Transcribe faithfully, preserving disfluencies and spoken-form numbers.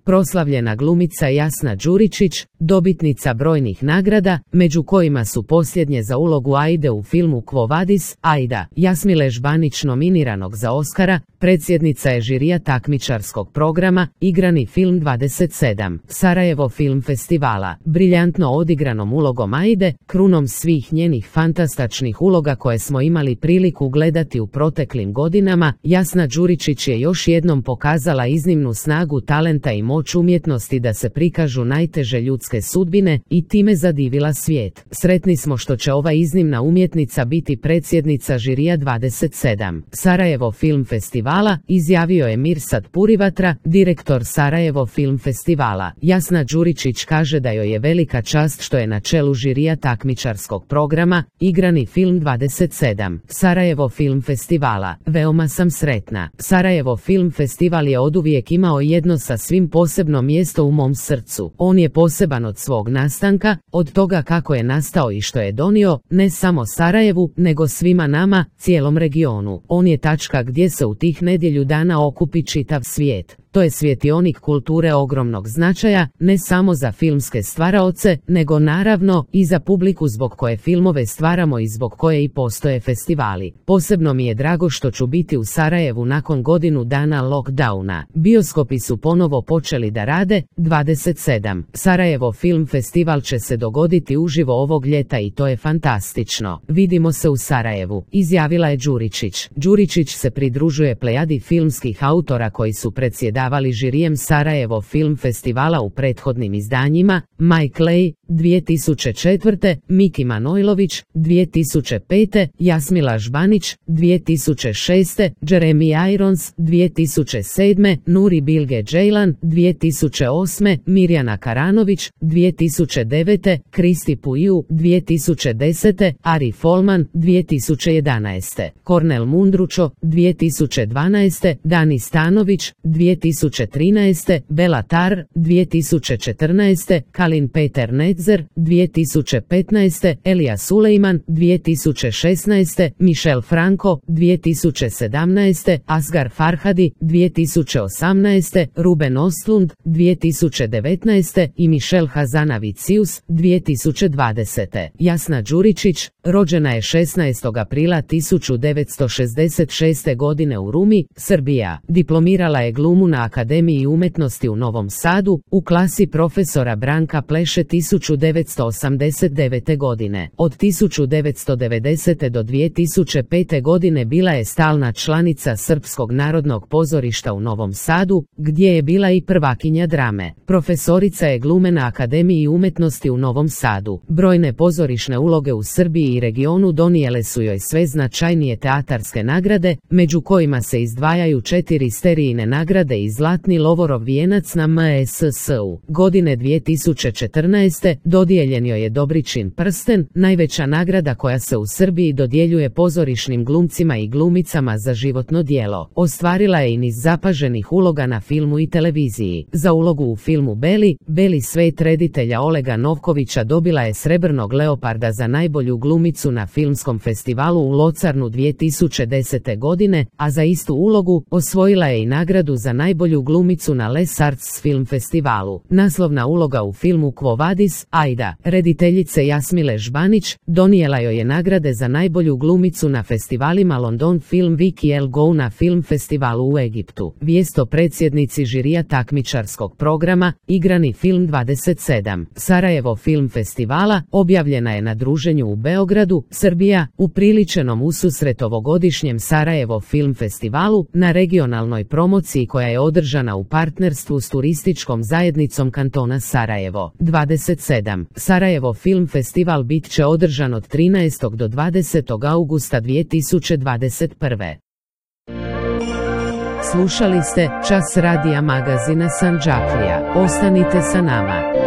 proslavljena glumica Jasna Đuričić, dobitnica brojnih nagrada, među kojima su posljednje za ulogu Aide u filmu Quo Vadis, Aida, Jasmile Žbanić nominiranog za Oskara, predsjednica je žirija takmičarskog programa, igrani film dvadeset sedam, Sarajevo film festivala, briljantno odigranom ulogom Aide, krunom svih njenih fantastičnih uloga koje smo imali priliku gledati u proteklim godinama, Jasna Đuričić je još jednom pokazala iznimnu snagu talenta i moć umjetnosti da se prikažu najteže ljudske sudbine i time zadivila svijet. Sretni smo što će ova iznimna umjetnica biti predsjednica žirija dvadeset sedam, Sarajevo film festivala, izjavio je Mirsad Purivatra, direktor Sarajevo film festivala. Jasna Đuričić kaže da joj je velika čast što je na čelu žirija takmičarskog programa, igrani film dvadeset sedam, Sarajevo film festivala. Veoma sam sretna. Sarajevo film festival je oduvijek imao jedno sa svim posebno mjesto u mom srcu. On je poseban od svog nastanka, od toga kako je nastao i što je donio, ne samo Sarajevu, nego svima nama, cijelom regionu. On je tačka gdje se u tih nedjelju dana okupi čitav svijet. To je svjetionik kulture ogromnog značaja, ne samo za filmske stvaraoce, nego naravno i za publiku zbog koje filmove stvaramo i zbog koje i postoje festivali. Posebno mi je drago što ću biti u Sarajevu nakon godinu dana lockdowna. Bioskopi su ponovo počeli da rade. dvadeset sedam. Sarajevo film festival će se dogoditi uživo ovog ljeta i to je fantastično. Vidimo se u Sarajevu, izjavila je Đuričić. Đuričić se pridružuje plejadi filmskih autora koji su predsjedavali davali žirijem Sarajevo film festivala u prethodnim izdanjima, Mike Lay, dvije tisuće četvrte, Miki Manojlović, dvije tisuće pete, Jasmila Žbanić, dvije tisuće šeste, Jeremy Irons, dvije tisuće sedme, Nuri Bilge Ceylan, dvije tisuće osme, Mirjana Karanović, dvije tisuće devete, Kristi Puju, dvije tisuće desete, Ari Folman, dvije tisuće jedanaeste, Kornel Mundručo, dvije tisuće dvanaeste, Dani Stanović, dvije tisuće trinaeste, Bela Tar, dvije tisuće četrnaeste, Kalin Peter Nedzer, dvije tisuće petnaeste, Elija Sulejman, dvije tisuće šesnaeste, Michel Franco, dvije tisuće sedamnaeste, Asgar Farhadi, dvije tisuće osamnaeste, Ruben Ostlund, dvije tisuće devetnaeste i Michel Hazanavicius, dvije tisuće dvadesete. Jasna Đuričić, rođena je šesnaestog aprila tisuću devetsto šezdeset šeste. godine u Rumi, Srbija. Diplomirala je glumu na Akademiji umjetnosti u Novom Sadu, u klasi profesora Branka Pleše tisuću devetsto osamdeset devete. godine. Od tisuću devetsto devedesete. do dvije tisuće pete. godine bila je stalna članica Srpskog narodnog pozorišta u Novom Sadu, gdje je bila i prvakinja drame. Profesorica je glume na Akademiji umjetnosti u Novom Sadu. Brojne pozorišne uloge u Srbiji i regionu donijele su joj sve značajnije teatarske nagrade, među kojima se izdvajaju četiri sterijine nagrade i Zlatni Lovorov vijenac na M S S-u. Godine dvije tisuće četrnaeste. dodijeljen joj je Dobričin prsten, najveća nagrada koja se u Srbiji dodjeljuje pozorišnim glumcima i glumicama za životno djelo. Ostvarila je i niz zapaženih uloga na filmu i televiziji. Za ulogu u filmu Beli, Beli svet reditelja Olega Novkovića dobila je Srebrnog leoparda za najbolju glumicu na filmskom festivalu u Locarnu dvije tisuće desete. godine, a za istu ulogu osvojila je i nagradu za najbolju glumicu na Les Arts film festivalu. Naslovna uloga u filmu Quo Vadis, Aida, rediteljice Jasmile Žbanić, donijela joj je nagrade za najbolju glumicu na festivalima London Film Week i El Go na film festivalu u Egiptu. Vijest o predsjednici žirija takmičarskog programa, igrani film dvadeset sedam, Sarajevo film festivala, objavljena je na druženju u Beogradu, Srbija, upriličenom ususret ovogodišnjem Sarajevo film festivalu, na regionalnoj promociji koja je održana u partnerstvu s turističkom zajednicom kantona Sarajevo. dvadeset sedam. Sarajevo film festival bit će održan od trinaestog do dvadesetog augusta dvije tisuće dvadeset prve. Slušali ste Čas radija magazina Sandžaklija. Ostanite sa nama.